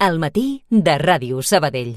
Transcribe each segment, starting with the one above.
Al matí de Ràdio Sabadell.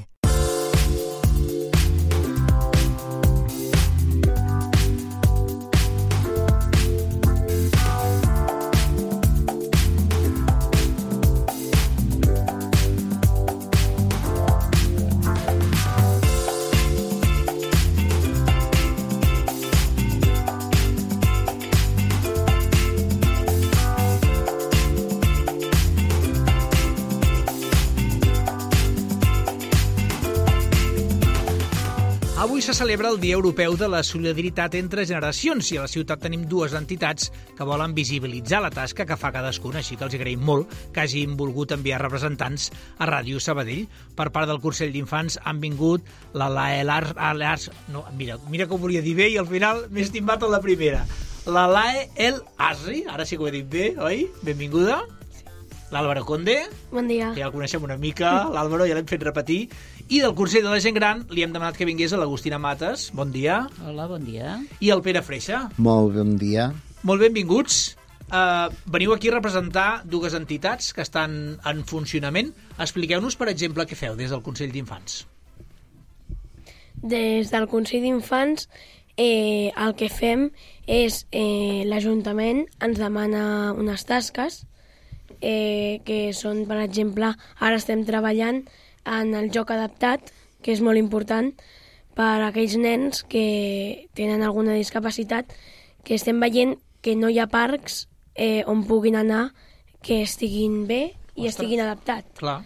Avui se celebra el Dia Europeu de la Solidaritat entre Generacions i a la ciutat tenim dues entitats que volen visibilitzar la tasca que fa cadascuna, així que els agraïm molt que hagin volgut enviar representants a Ràdio Sabadell. Per part del Consell d'Infants han vingut la Lae no, mira que ho volia dir bé i al final m'he estimbat a la primera. La Lae El Asri, ara sí que ho he dit bé, oi? Benvinguda. L'Àlvaro Conde. Bon dia. Ja el coneixem una mica, l'Àlvaro ja l'hem fet repetir. I del Consell de la Gent Gran li hem demanat que vingués a l'Agustina Mates. Bon dia. Hola, bon dia. I el Pere Freixa. Molt bon dia. Molt benvinguts. Veniu aquí a representar dues entitats que estan en funcionament. Expliqueu-nos, per exemple, què feu des del Consell d'Infants. Des del Consell d'Infants el que fem és l'Ajuntament ens demana unes tasques que són, per exemple, ara estem treballant en el joc adaptat, que és molt important per a aquells nens que tenen alguna discapacitat, que estem veient que no hi ha parcs on puguin anar que estiguin bé i estiguin adaptats. Clar.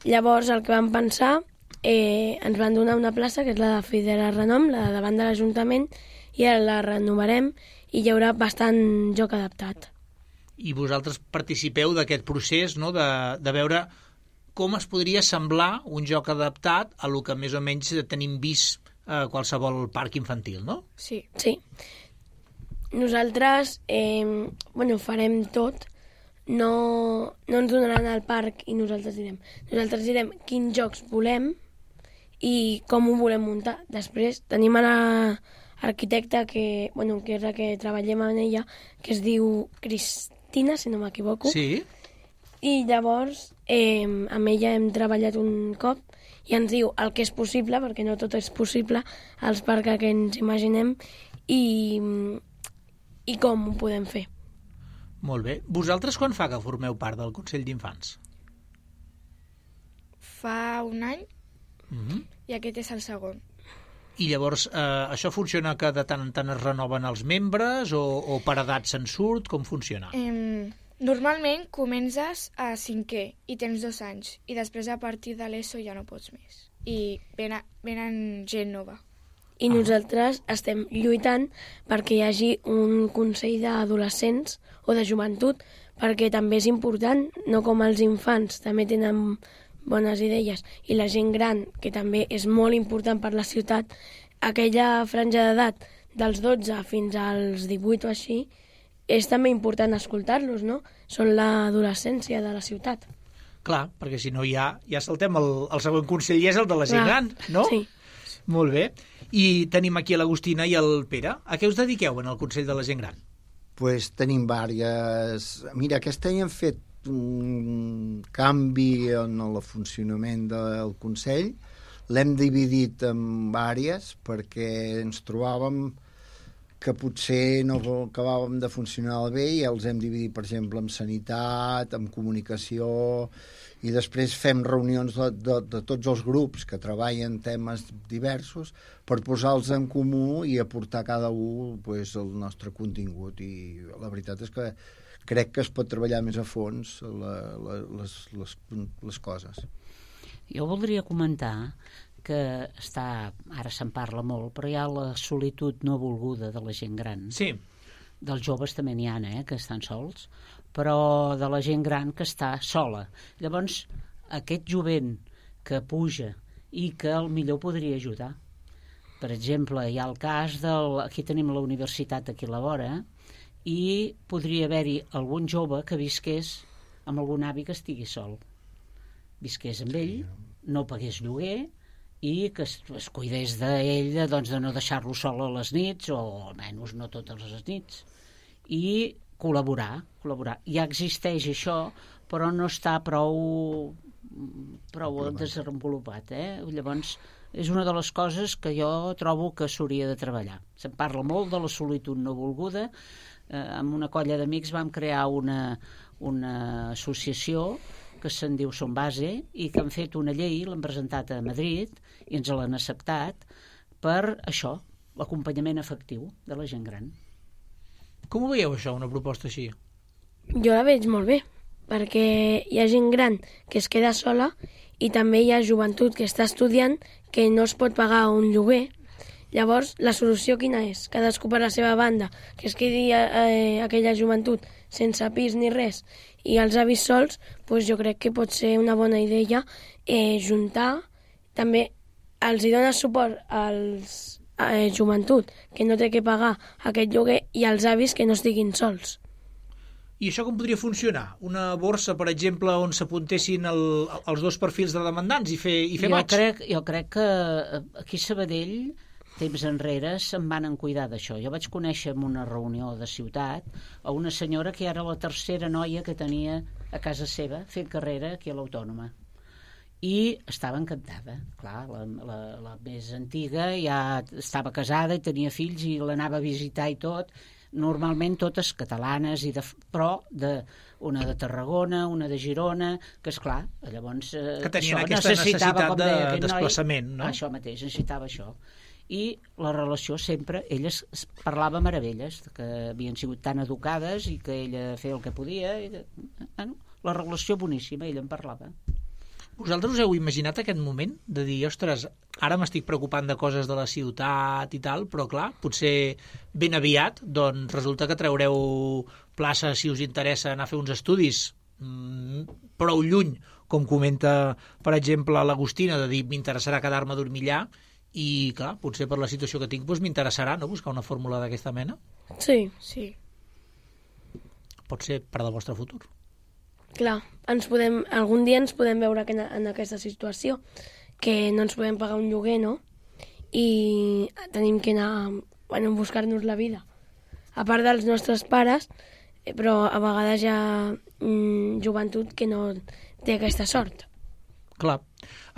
Llavors, el que vam pensar, ens van donar una plaça, que és la de Fidel Renom, la de davant de l'Ajuntament, i ara la renovarem i hi haurà bastant joc adaptat. I vosaltres participeu d'aquest procés, no?, de veure com es podria semblar un joc adaptat a lo que més o menys tenim vist a qualsevol parc infantil, no? Sí. Nosaltres farem tot. No ens donaran el parc i nosaltres direm. Nosaltres direm quins jocs volem i com ho volem muntar. Després tenim a l'arquitecta que és la que treballem amb ella, que es diu Cristina, si no m'equivoco. Sí. I llavors amb ella hem treballat un cop i ens diu el que és possible, perquè no tot és possible, els parcs que ens imaginem i com ho podem fer. Molt bé. Vosaltres quan fa que formeu part del Consell d'Infants? Fa un any i aquest és el segon. I llavors això funciona que de tant en tant es renoven els membres o per edat se'n surt? Com funciona? Normalment comences a 5è i tens 2 anys i després a partir de l'ESO ja no pots més i venen gent nova. I nosaltres estem lluitant perquè hi hagi un consell d'adolescents o de joventut, perquè també és important, no com els infants també tenen bones idees i la gent gran, que també és molt important per la ciutat, aquella franja d'edat dels 12 fins als 18 o així, és també important escoltar-los, no? Són l'adolescència de la ciutat. Clar, perquè si no ja saltem el següent consell i és el de la gent gran, no? Sí. Molt bé. I tenim aquí a l'Agustina i el Pere. A què us dediqueu en el Consell de la Gent Gran? Pues tenim diverses... Mira, aquest any hem fet un canvi en el funcionament del Consell. L'hem dividit en diverses perquè ens trobàvem que potser no acabàvem de funcionar bé i els hem dividit, per exemple, en sanitat, en comunicació, i després fem reunions de tots els grups que treballen temes diversos per posar-los en comú i aportar cada un el nostre contingut. I la veritat és que crec que es pot treballar més a fons les coses. Jo voldria comentar que ara se'n parla molt, però hi ha la solitud no volguda de la gent gran. Sí. Dels joves també n'hi ha, que estan sols, però de la gent gran que està sola. Llavors, aquest jovent que puja i que millor podria ajudar. Per exemple, hi ha el cas aquí tenim la universitat aquí a la vora, i podria haver-hi algun jove que visqués amb algun avi que estigui sol. Visqués amb ell, no pagués lloguer, i que es cuidés d'ell, doncs, de no deixar-lo sol a les nits, o almenys no totes les nits, i col·laborar. Ja existeix això, però no està prou prou desenvolupat, Llavors, és una de les coses que jo trobo que s'hauria de treballar. Se'n parla molt de la solitud no volguda. Amb una colla d'amics vam crear una associació que se'n diu Som Base i que han fet una llei, l'han presentat a Madrid i ens l'han acceptat per això, l'acompanyament efectiu de la gent gran. Com ho veieu, això, una proposta així? Jo la veig molt bé, perquè hi ha gent gran que es queda sola i també hi ha joventut que està estudiant que no es pot pagar un lloguer. Llavors, la solució quina és? Cadascú per la seva banda, que es quedi aquella joventut sense pis ni res i els avis sols, doncs jo crec que pot ser una bona idea juntar. També els hi dona suport als joventut que no té que pagar aquest lloguer i als avis que no estiguin sols. I això com podria funcionar? Una borsa, per exemple, on s'apuntessin els dos perfils de demandants i fer maig? Jo crec que aquí a Sabadell, temps enrere, se'n van cuidar d'això. Jo vaig conèixer en una reunió de ciutat a una senyora que era la tercera noia que tenia a casa seva fent carrera aquí a l'Autònoma. I estava encantada. Clar, la més antiga ja estava casada i tenia fills i l'anava a visitar i tot. Normalment totes catalanes, però una de Tarragona, una de Girona, que esclar, llavors que tenien aquesta necessitat de desplaçament, no? Això mateix, necessitava això. I la relació sempre, elles parlava meravelles, que havien sigut tan educades i que ella feia el que podia. La relació boníssima, ella en parlava. Vosaltres us heu imaginat aquest moment de dir, ostres, ara m'estic preocupant de coses de la ciutat i tal, però clar, potser ben aviat doncs resulta que traureu plaça si us interessa anar a fer uns estudis prou lluny, com comenta, per exemple, l'Agustina, de dir, m'interessarà quedar-me a dormir allà, i clar, potser per la situació que tinc doncs m'interessarà, no?, buscar una fórmula d'aquesta mena. Sí. Pot ser per al vostre futur. Clar, algun dia ens podem veure en aquesta situació, que no ens podem pagar un lloguer, no? I tenim que anar a buscar-nos la vida. A part dels nostres pares, però a vegades hi ha joventut que no té aquesta sort. Clar.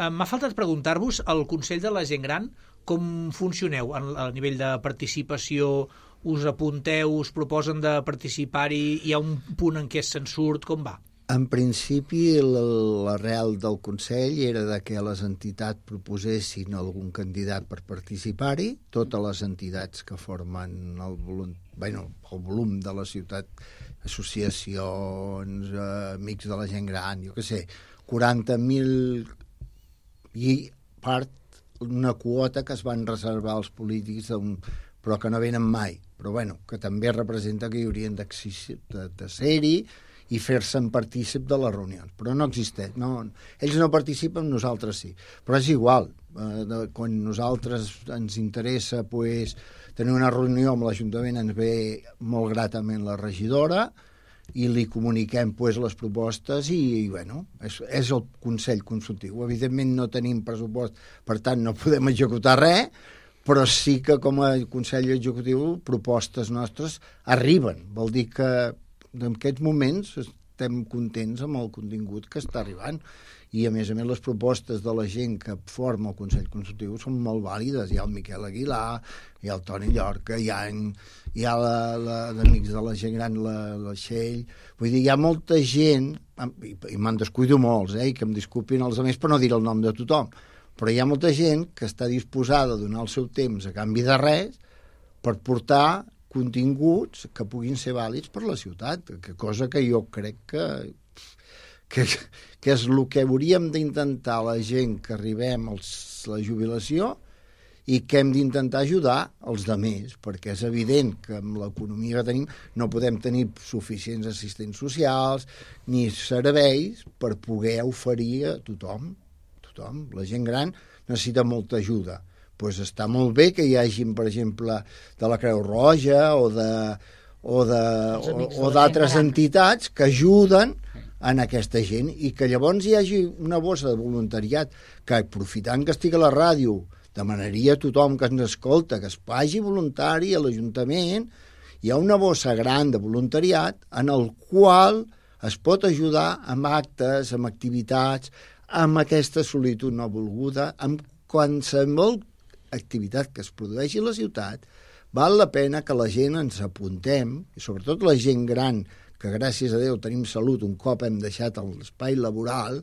M'ha faltat preguntar-vos al Consell de la Gent Gran com funcioneu a nivell de participació. Us apunteu, us proposen de participar-hi, hi ha un punt en què se'n surt, com va? En principi, l'arrel del Consell era de que les entitats proposessin algun candidat per participar-hi, totes les entitats que formen el volum de la ciutat, associacions, amics de la gent gran, jo què sé, 40.000 i part una quota que es van reservar als polítics, però que no venen mai, però que també representa que hi haurien de ser-hi i fer-se'n partícip de les reunions. Però no existeix. Ells no participen, nosaltres sí. Però és igual. Quan nosaltres ens interessa tenir una reunió amb l'Ajuntament, ens ve molt gratament la regidora i li comuniquem les propostes i és el Consell Consultiu. Evidentment no tenim pressupost, per tant no podem executar res, però sí que com a Consell Executiu propostes nostres arriben. Vol dir que en aquests moments estem contents amb el contingut que està arribant i a més les propostes de la gent que forma el Consell Consultiu són molt vàlides. Hi ha el Miquel Aguilar, hi ha el Toni Llorca, hi ha l'Amics de la Gent Gran, la Txell. Vull dir, hi ha molta gent, i me'n descuido molts, i que em disculpin els altres per no dir el nom de tothom, però hi ha molta gent que està disposada a donar el seu temps a canvi de res per portar continguts que puguin ser vàlids per la ciutat, cosa que jo crec que és el que hauríem d'intentar la gent que arribem a la jubilació i que hem d'intentar ajudar els altres, perquè és evident que amb l'economia que tenim no podem tenir suficients assistents socials ni serveis per poder oferir a tothom. La gent gran necessita molta ajuda. Està molt bé que hi hagi, per exemple, de la Creu Roja o d'altres entitats que ajuden en aquesta gent i que llavors hi hagi una bossa de voluntariat que, aprofitant que estigui a la ràdio, demanaria a tothom que ens escolta que es faci voluntari a l'Ajuntament. Hi ha una bossa gran de voluntariat en el qual es pot ajudar amb actes, amb activitats, amb aquesta solitud no volguda, amb qualsevol activitat que es produeixi a la ciutat, val la pena que la gent ens apuntem, i sobretot la gent gran, que gràcies a Déu tenim salut un cop hem deixat l'espai laboral,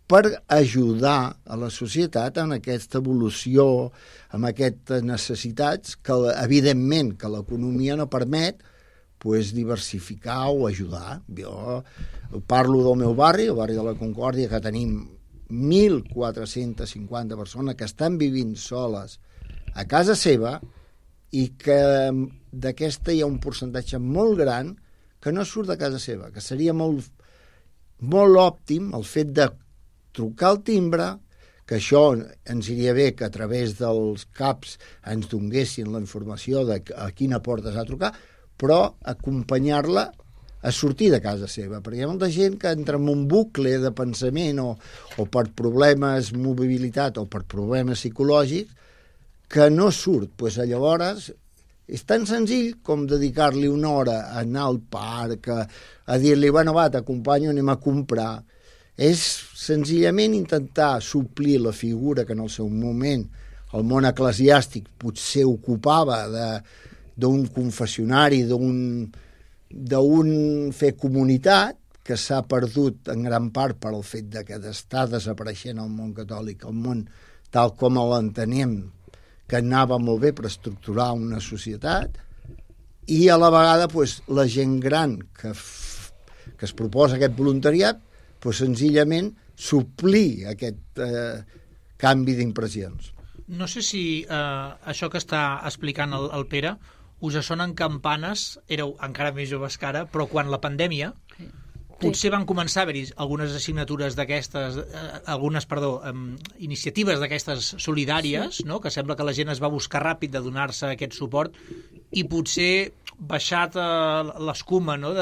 per ajudar a la societat en aquesta evolució, amb aquestes necessitats que, evidentment, que l'economia no permet diversificar o ajudar. Jo parlo del meu barri, el barri de la Concòrdia, que tenim 1.450 persones que estan vivint soles a casa seva i que d'aquesta hi ha un percentatge molt gran que no surt de casa seva, que seria molt òptim el fet de trucar al timbre, que això ens iria bé que a través dels CAPs ens donguessin la informació de a quina porta s'ha de trucar, però acompanyar-la a sortir de casa seva, perquè hi ha molta gent que entra en un bucle de pensament o per problemes de mobilitat o per problemes psicològics que no surt. Llavors és tan senzill com dedicar-li una hora a anar al parc, a dir-li, bueno, va, t'acompanyo, anem a comprar. És senzillament intentar suplir la figura que en el seu moment el món eclesiàstic potser ocupava d'un confessionari, d'un fer comunitat, que s'ha perdut en gran part per el fet de que està desapareixent el món catòlic, el món tal com l'entenem, que anava molt bé per estructurar una societat, i a la vegada la gent gran que es proposa aquest voluntariat, senzillament suplir aquest canvi d'impressions. No sé si això que està explicant el Pere us sonen campanes, éreu encara més joves que ara, però quan la pandèmia potser van començar a haver-hi algunes assignatures d'aquestes, iniciatives d'aquestes solidàries, no? Que sembla que la gent es va buscar ràpid de donar-se aquest suport i potser baixat l'escuma, no?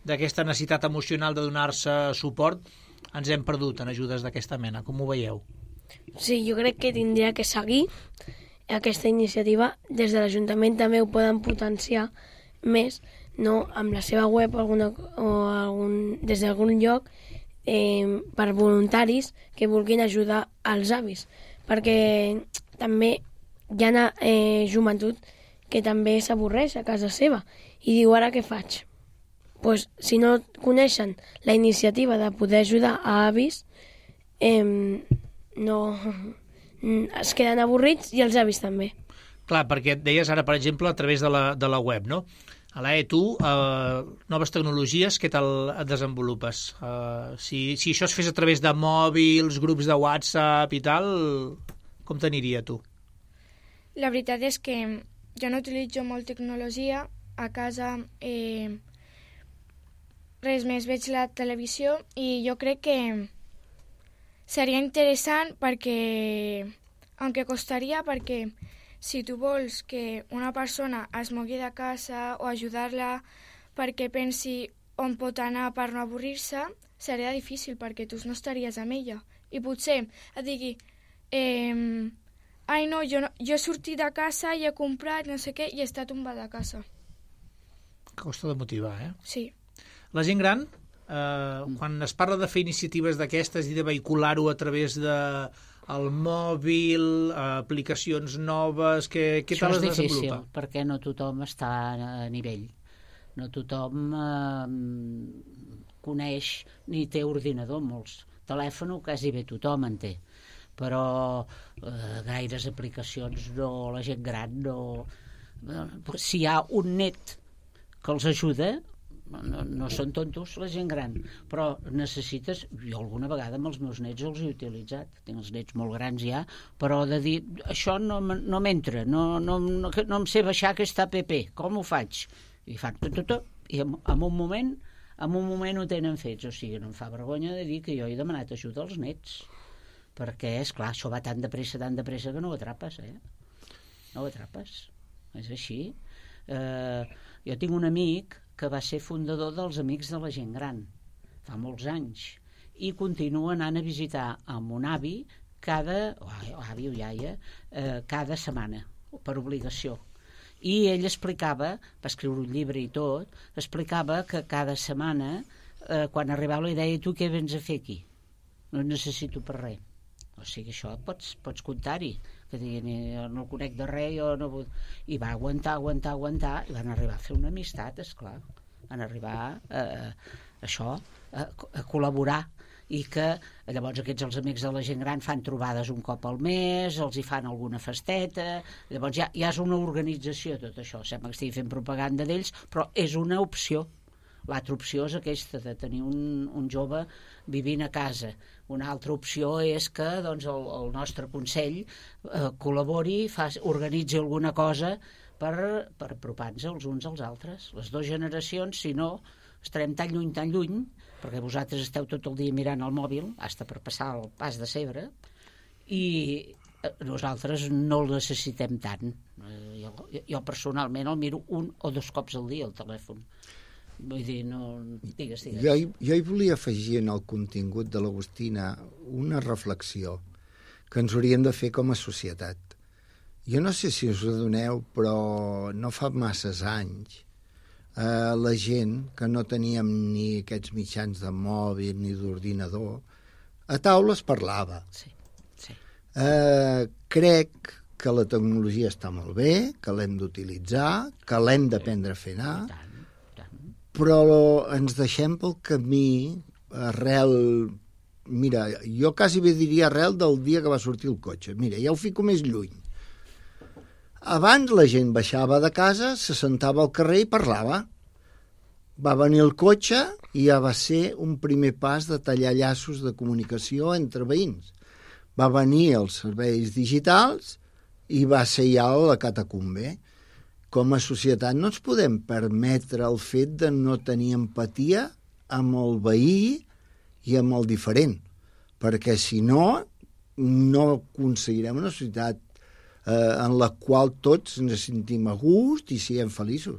D'aquesta necessitat emocional de donar-se suport, ens hem perdut en ajudes d'aquesta mena. Com ho veieu? Sí, jo crec que tindria que seguir aquesta iniciativa. Des de l'Ajuntament també ho poden potenciar més, no? Amb la seva web des d'algun lloc per voluntaris que vulguin ajudar els avis, perquè també hi ha joventut que també s'avorreix a casa seva i diu, ara què faig? Si no coneixen la iniciativa de poder ajudar a avis, no es queden avorrits i els avis també. Clar, perquè et deies ara, per exemple, a través de la web, no? Alae, tu, noves tecnologies, què tal et desenvolupes? Si això es fes a través de mòbils, grups de WhatsApp i tal, com t'aniria tu? La veritat és que jo no utilitzo molt tecnologia. A casa res més, veig la televisió i jo crec que seria interessant perquè, aunque costaria, perquè si tu vols que una persona es mogui de casa o ajudar-la perquè pensi on pot anar per no avorrir-se, seria difícil perquè tu no estaries amb ella. I potser et digui, ai no, jo he sortit de casa i he comprat no sé què i he estat tombada a casa. Costa de motivar, eh? Sí. La gent gran, quan es parla de fer iniciatives d'aquestes i de vehicular-ho a través del mòbil, aplicacions noves, què tal es desenvolupa? Això és difícil, perquè no tothom està a nivell. No tothom coneix ni té ordinador, molts. Telèfon quasi bé tothom en té, però gaires aplicacions no, la gent gran no. Si hi ha un net que els ajuda, no són tontos la gent gran, però necessites, jo alguna vegada amb els meus nets els he utilitzat, tinc els nets molt grans ja, però de dir, això no m'entra, no em sé baixar aquesta app, com ho faig? I fan tot, i en un moment ho tenen fets, o sigui, no em fa vergonya de dir que jo he demanat ajuda als nets, perquè, esclar, això va tan de pressa que no ho atrapes, no ho atrapes, és així. Jo tinc un amic que va ser fundador dels Amics de la Gent Gran, fa molts anys, i continua anant a visitar a mon avi cada setmana, per obligació. I ell explicava, va escriure un llibre i tot, explicava que cada setmana, quan arribava la idea, tu què vens a fer aquí? no necessito per res. O sigui, això pots comptar-hi, que diguin, jo no el conec de res, jo no vull... I va aguantar, i van arribar a fer una amistat, esclar. Van arribar a col·laborar, i que llavors aquests, els amics de la gent gran, fan trobades un cop al mes, els hi fan alguna festeta, llavors ja és una organització tot això, sembla que estigui fent propaganda d'ells, però és una opció. L'altra opció és aquesta, de tenir un jove vivint a casa. Una altra opció és que doncs, el nostre Consell col·labori, organitzi alguna cosa per apropar-nos els uns als altres. Les dues generacions, si no, estarem tan lluny, perquè vosaltres esteu tot el dia mirant el mòbil, hasta per passar el pas de Segre, i nosaltres no el necessitem tant. Jo personalment el miro 1 o 2 cops al dia, el telèfon. Vull dir, no... Digues. Jo hi volia afegir en el contingut de l'Agustina una reflexió que ens hauríem de fer com a societat. Jo no sé si us adoneu, però no fa masses anys la gent que no teníem ni aquests mitjans de mòbil ni d'ordinador, a taula es parlava. Sí. Crec que la tecnologia està molt bé, que l'hem d'utilitzar, que l'hem d'aprendre a fer anar, però ens deixem pel camí arrel... Mira, jo quasi bé diria arrel del dia que va sortir el cotxe. Mira, ja ho fico més lluny. Abans la gent baixava de casa, se sentava al carrer i parlava. Va venir el cotxe i ja va ser un primer pas de tallar llaços de comunicació entre veïns. Va venir els serveis digitals i va ser ja la catacumbe. Com a societat no ens podem permetre el fet de no tenir empatia amb el veí i amb el diferent, perquè si no aconseguirem una societat en la qual tots ens sentim a gust i siguem feliços.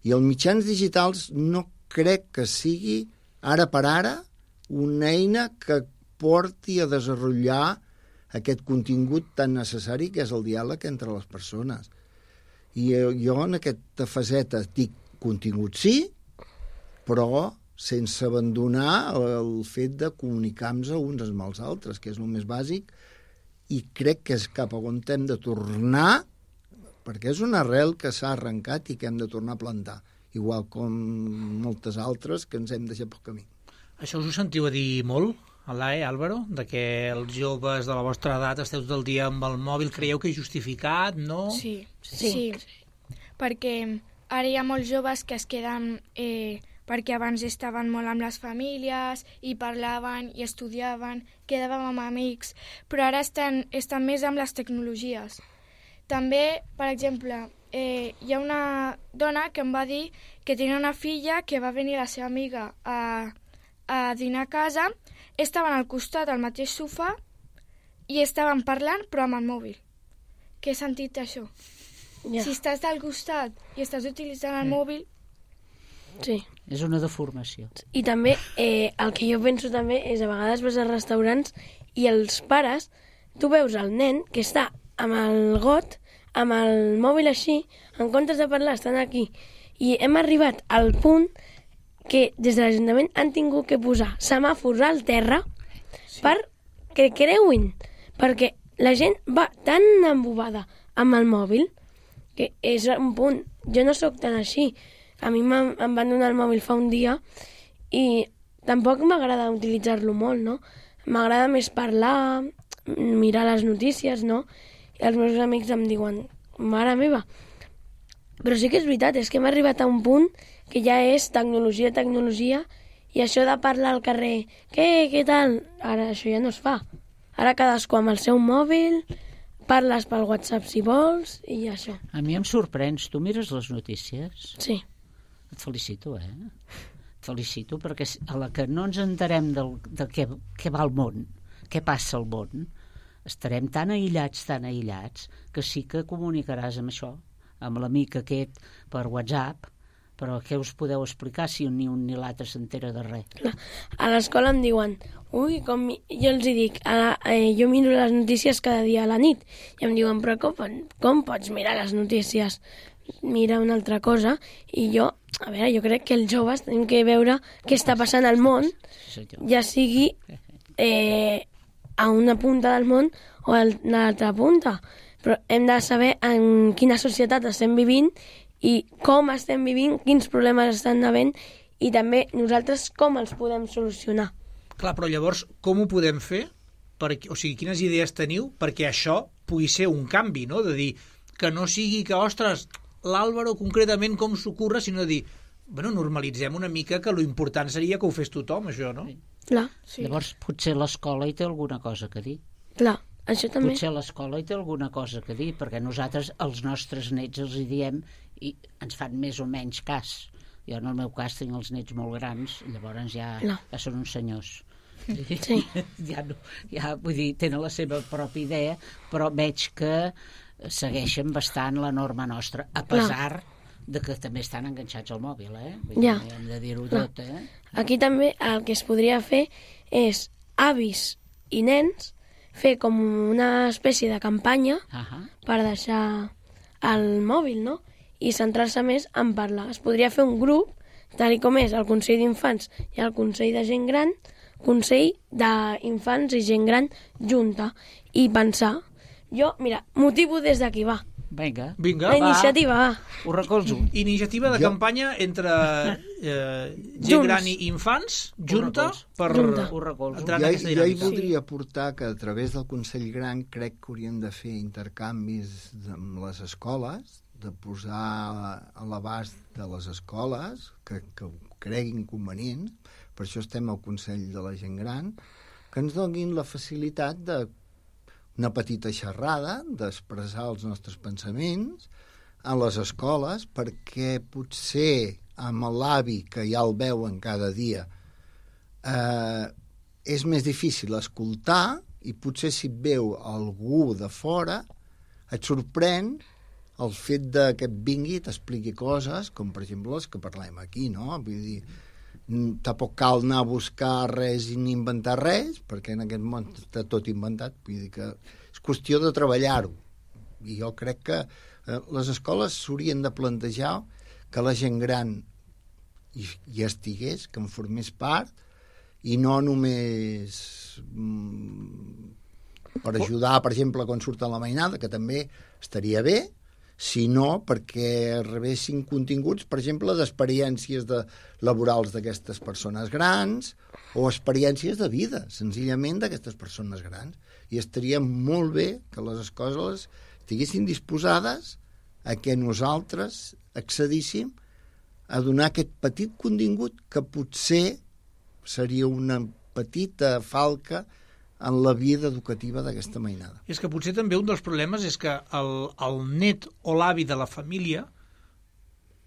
I els mitjans digitals no crec que sigui, ara per ara, una eina que porti a desenvolupar aquest contingut tan necessari que és el diàleg entre les persones. I jo en aquesta faceta dic contingut sí, però sense abandonar el fet de comunicar-nos uns amb els altres, que és el més bàsic, i crec que és cap a on hem de tornar, perquè és una arrel que s'ha arrencat i que hem de tornar a plantar, igual com moltes altres que ens hem deixat pel camí. Això us ho sentiu a dir molt, Álvaro, de que els joves de la vostra edat esteu tot el dia amb el mòbil, creieu que és justificat, no? Sí. Perquè ara hi ha molts joves que es queden... perquè abans estaven molt amb les famílies i parlaven i estudiaven, quedàvem amb amics, però ara estan més amb les tecnologies. També, per exemple, hi ha una dona que em va dir que tenia una filla que va venir la seva amiga a dinar a casa, estaven al costat al mateix sofà i estaven parlant però amb el mòbil. Què sentit això? Ja. Si estàs al costat i estàs utilitzant el mòbil... Sí. És una deformació. I també, el que jo penso també és a vegades vas als restaurants i els pares, tu veus el nen que està amb el got, amb el mòbil així, en comptes de parlar estan aquí. I hem arribat al punt que des de l'Ajuntament han tingut que posar semàfors al terra perquè creuin, perquè la gent va tan embobada amb el mòbil que és un punt. Jo no sóc tan així. A mi em van donar el mòbil fa un dia i tampoc m'agrada utilitzar-lo molt, no? M'agrada més parlar, mirar les notícies, no? I els meus amics em diuen, mare meva. Però sí que és veritat, és que hem arribat a un punt que ja és tecnologia, i això de parlar al carrer, què tal? Ara això ja no es fa. Ara cadascú amb el seu mòbil, parles pel WhatsApp si vols, i això. A mi em sorprens. Tu mires les notícies? Sí. Et felicito, Et felicito, perquè a la que no ens enterem de què va el món, què passa al món, estarem tan aïllats, que sí que comunicaràs amb això, amb l'amic aquest per WhatsApp, però què us podeu explicar si ni un ni l'altre s'entera de res? A l'escola em diuen, jo els dic, jo miro les notícies cada dia a la nit, i em diuen, però com pots mirar les notícies? Mira una altra cosa, i jo crec que els joves tenim que veure què està passant al món, ja sigui a una punta del món o a l'altra punta, però hem de saber en quina societat estem vivint i com estem vivint, quins problemes estan havent i també nosaltres com els podem solucionar. Clar, però llavors com ho podem fer? O sigui, quines idees teniu perquè això pugui ser un canvi, no? De dir que no sigui que, ostres, l'Àlvaro concretament com s'ocorre, sinó de dir, bueno, normalitzem una mica que lo important seria que ho fes tothom, això, no? Clar, Sí. Llavors, potser l'escola hi té alguna cosa que dir. clar, això també. Potser l'escola hi té alguna cosa que dir, perquè nosaltres, els nostres nets, els hi diem i ens fan més o menys cas. Jo, en el meu cas, tinc els nets molt grans, llavors ja són uns senyors. Sí. Ja, vull dir, tenen la seva pròpia idea, però veig que segueixen bastant la norma nostra, a pesar de que també estan enganxats al mòbil, Vull dir, hem de dir-ho tot, Aquí també el que es podria fer és avis i nens fer com una espècie de campanya per deixar el mòbil, no? I centrar-se més en parlar. Es podria fer un grup, tal com és el Consell d'Infants i el Consell de Gent Gran, Consell d'Infants i Gent Gran junta, i pensar. Jo, mira, motivo des d'aquí, va. Vinga, Vinga, La iniciativa, va. ho recolzo. Iniciativa de campanya entre gent gran i infants, junta, per Ho recolzo. entrar en aquesta Jo hi dinàmica. voldria aportar que a través del Consell Gran crec que hauríem de fer intercanvis amb les escoles, de posar a l'abast de les escoles que ho creguin convenient, per això estem al Consell de la Gent Gran, que ens donin la facilitat de una petita xerrada, d'expressar els nostres pensaments a les escoles, perquè potser amb l'avi, que ja el veuen cada dia, és més difícil escoltar, i potser si et veu algú de fora et sorprèn el fet de que et vingui i t'expliqui coses, com per exemple les que parlem aquí, no? Vull dir, tampoc cal anar a buscar res i ni inventar res, perquè en aquest món està tot inventat, vull dir que és qüestió de treballar-ho. I jo crec que les escoles s'haurien de plantejar que la gent gran hi estigués, que en formés part, i no només per ajudar, per exemple, quan surt a la mainada, que també estaria bé, sinó perquè rebessin continguts, per exemple, d'experiències laborals d'aquestes persones grans o experiències de vida, senzillament, d'aquestes persones grans. I estaria molt bé que les escoles estiguessin disposades a que nosaltres accedíssim a donar aquest petit contingut que potser seria una petita falca en la vida educativa d'aquesta mainada. És que potser també un dels problemes és que el net o l'avi de la família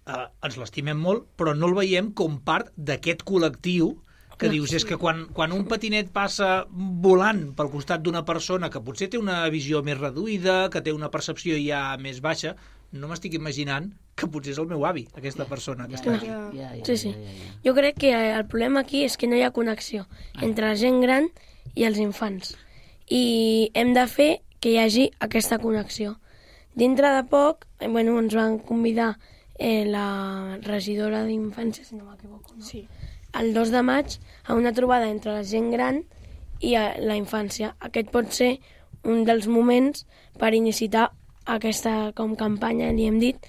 ens l'estimem molt, però no el veiem com part d'aquest col·lectiu que dius, és que quan un patinet passa volant pel costat d'una persona que potser té una visió més reduïda, que té una percepció ja més baixa, no m'estic imaginant que potser és el meu avi, aquesta persona que està aquí. Sí. Jo crec que el problema aquí és que no hi ha connexió entre la gent gran i els infants. I hem de fer que hi hagi aquesta connexió. Dintre de poc, ens van convidar la regidora d'infància, si no m'equivoco, no? Sí. El 2 de maig a una trobada entre la gent gran i la infància. Aquest pot ser un dels moments per iniciar aquesta com campanya, li hem dit,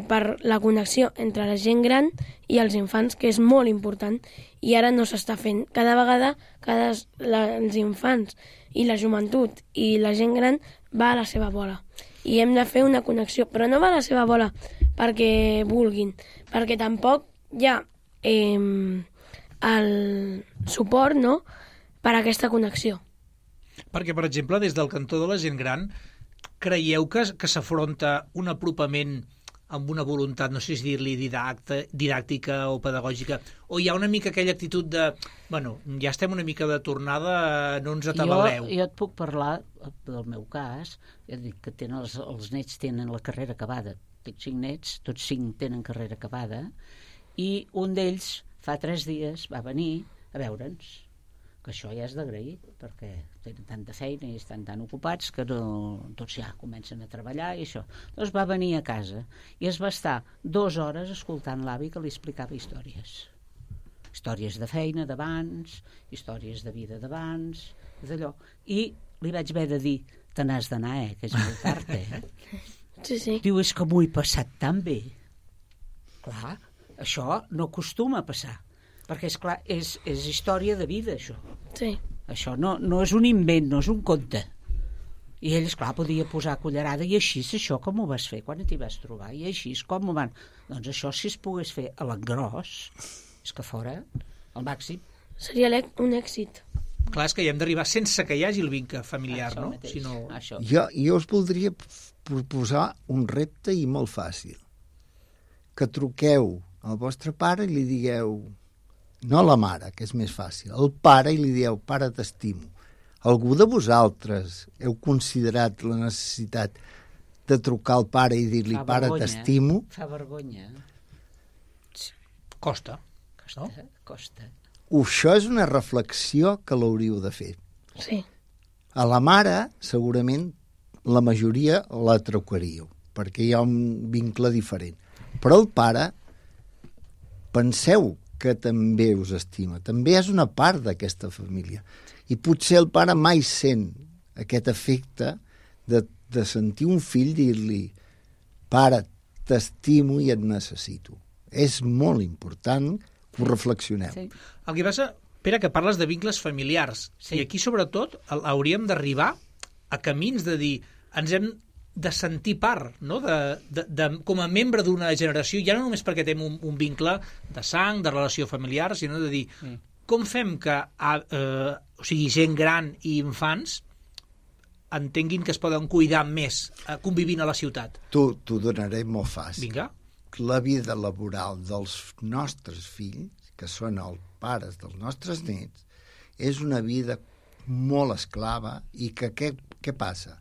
per la connexió entre la gent gran i els infants, que és molt important, i ara no s'està fent. Cada vegada els infants i la joventut i la gent gran va a la seva bola. I hem de fer una connexió, però no va a la seva bola perquè vulguin, perquè tampoc hi ha el suport, no?, per a aquesta connexió. Perquè, per exemple, des del cantó de la gent gran, creieu que s'afronta un apropament amb una voluntat, no sé si dir-li didàctica o pedagògica, o hi ha una mica aquella actitud de, ja estem una mica de tornada, no ens atabaleu? Jo et puc parlar del meu cas, ja dic que els nets tenen la carrera acabada. Tinc 5 nets, tots 5 tenen carrera acabada, i un d'ells fa 3 dies va venir a veure'ns, que això ja és d'agrair, perquè tenen tanta feina i estan tan ocupats que tots ja comencen a treballar i això. Doncs va venir a casa i es va estar 2 hores escoltant l'avi que li explicava històries. històries de feina d'abans, històries de vida d'abans, d'allò. I li vaig haver de dir, te n'has d'anar, que és molt tard, Sí, sí. Diu, és que m'ho he passat tan bé. Clar, això no acostuma a passar, perquè, és clar, és història de vida, això. Sí. Això no és un invent, no és un conte. I ell, esclar, podia posar cullerada, i així és això com ho vas fer quan t'hi vas trobar, i així és com ho van... Doncs això, si es pogués fer a l'engròs, és que fora el màxim. Seria un èxit. Clar, és que hi hem d'arribar sense que hi hagi el vincle familiar, Això no? mateix, Si no... això. Jo us voldria proposar un repte i molt fàcil. Que truqueu al vostre pare i li digueu, no a la mare, que és més fàcil, al pare i li dieu, pare, t'estimo. Algú de vosaltres heu considerat la necessitat de trucar al pare i dir-li, pare, t'estimo? Fa vergonya. Costa. Costa. Això és una reflexió que l'hauríeu de fer. Sí. A la mare, segurament, la majoria la trucaríeu, perquè hi ha un vincle diferent. Però el pare, penseu que també us estima, també és una part d'aquesta família. I potser el pare mai sent aquest efecte de sentir un fill dir-li, pare, t'estimo i et necessito. És molt important que ho reflexioneu. Sí. El que passa, Pere, que parles de vincles familiars. Sí. I aquí, sobretot, hauríem d'arribar a camins de dir, ens hem de sentir part, no? Com a membre d'una generació, ja no només perquè tenim un vincle de sang, de relació familiar, sinó de dir, com fem que gent gran i infants entenguin que es poden cuidar més convivint a la ciutat? T'ho donaré molt fàcil. Vinga. La vida laboral dels nostres fills, que són els pares dels nostres nets, és una vida molt esclava i que què passa?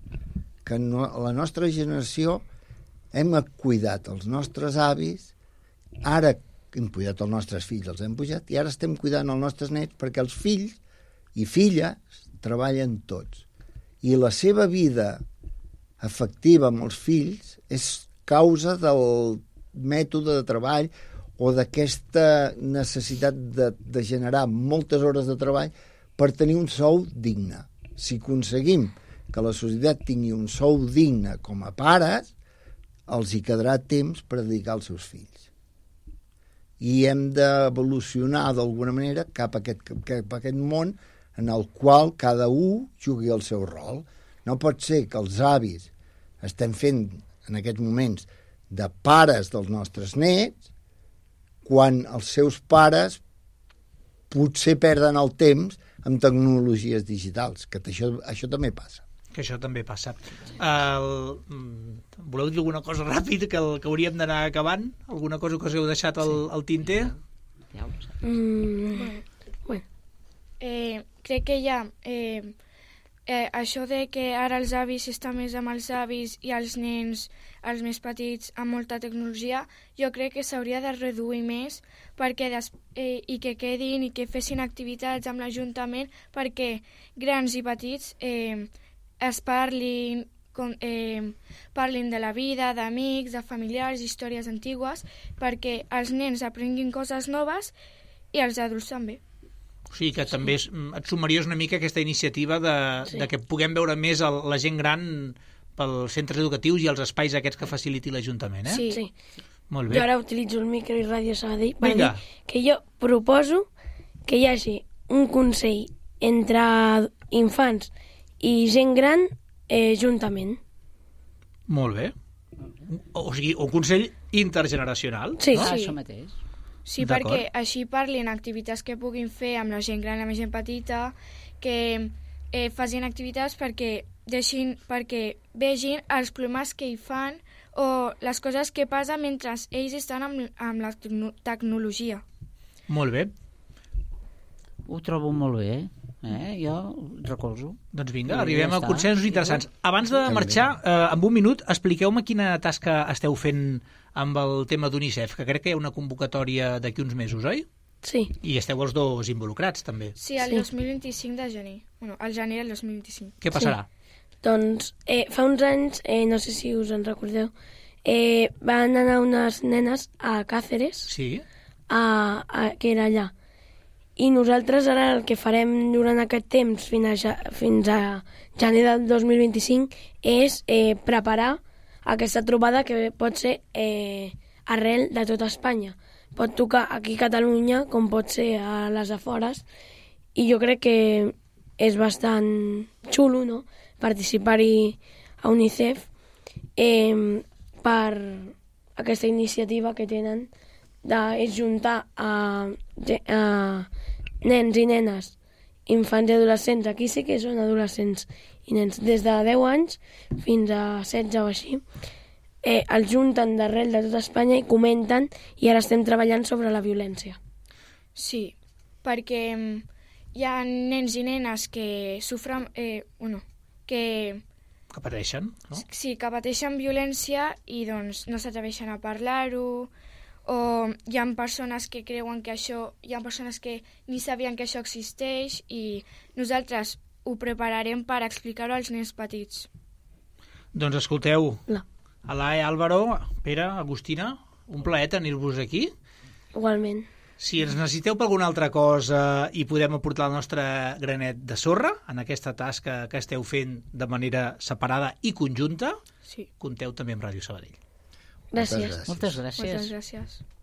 Que la nostra generació hem cuidat els nostres avis, ara hem cuidat els nostres fills, els hem pujat, i ara estem cuidant els nostres nets perquè els fills i filles treballen tots. I la seva vida afectiva amb els fills és causa del mètode de treball o d'aquesta necessitat de generar moltes hores de treball per tenir un sou digne. Si aconseguim que la societat tingui un sou digne com a pares, els hi quedarà temps per dedicar als seus fills. I hem d'evolucionar d'alguna manera cap a aquest món en el qual cada un jugui el seu rol. No pot ser que els avis estem fent en aquests moments de pares dels nostres nets quan els seus pares potser perden el temps amb tecnologies digitals, que això també passa. Que això també passa. Voleu dir alguna cosa ràpid que hauríem d'anar acabant? Alguna cosa que us heu deixat al tinter? Bueno. Crec que hi ha això de que ara els avis estan més amb els avis i els nens, els més petits, amb molta tecnologia, jo crec que s'hauria de reduir més perquè i que quedin i que fessin activitats amb l'Ajuntament perquè grans i petits es parlin de la vida, d'amics, de familiars, històries antigues, perquè els nens aprenguin coses noves i els adults també. O sigui que també et sumaries una mica aquesta iniciativa de que puguem veure més la gent gran pels centres educatius i els espais aquests que faciliti l'Ajuntament, eh? Sí. Molt bé. Jo ara utilitzo el micro i Ràdio Sabadell per Vinga. dir que jo proposo que hi hagi un consell entre infants i gent gran juntament. Molt bé. O sigui, un consell intergeneracional. Sí, no? sí. Això mateix. Sí, perquè així parlin activitats que puguin fer amb la gent gran i amb la gent petita, que facin activitats perquè vegin els problemes que hi fan o les coses que passen mentre ells estan amb la tecnologia. Molt bé. Ho trobo molt bé, jo recolzo. Doncs vinga, I arribem ja a està. consensos interessants. Abans de marxar, en un minut, expliqueu-me quina tasca esteu fent amb el tema d'UNICEF, que crec que hi ha una convocatòria d'aquí uns mesos, oi? Sí. I esteu els dos involucrats, també. Sí, el 2025 de gener. Bueno, el gener del 2025. Què passarà? Doncs fa uns anys, no sé si us en recordeu, van anar unes nenes a Càceres, Sí? que era allà, I nosaltres ara el que farem durant aquest temps fins a gener del 2025 és preparar aquesta trobada que pot ser arrel de tota Espanya. Pot tocar aquí a Catalunya com pot ser a les afores i jo crec que és bastant xulo, no?, participar-hi a UNICEF per aquesta iniciativa que tenen de juntar a nens i nenes, infants i adolescents, aquí sí que són adolescents i nens, des de 10 anys fins a 16 o així, els junten d'arrel de tota Espanya i comenten, i ara estem treballant sobre la violència. Sí, perquè hi ha nens i nenes que sofren... que pateixen, no? Sí, que pateixen violència i doncs no s'atreveixen a parlar-ho, o hi ha persones que creuen que això... Hi ha persones que ni sabien que això existeix i nosaltres ho prepararem per explicar-ho als nens petits. Doncs escolteu, No. Alae, Álvaro, Pere, Agustina, un plaer tenir-vos aquí. Igualment. Si ens necessiteu per alguna altra cosa i podem aportar el nostre granet de sorra en aquesta tasca que esteu fent de manera separada i conjunta, Sí. compteu també amb Ràdio Sabadell. Gràcies. Moltes gràcies. Moltes gràcies.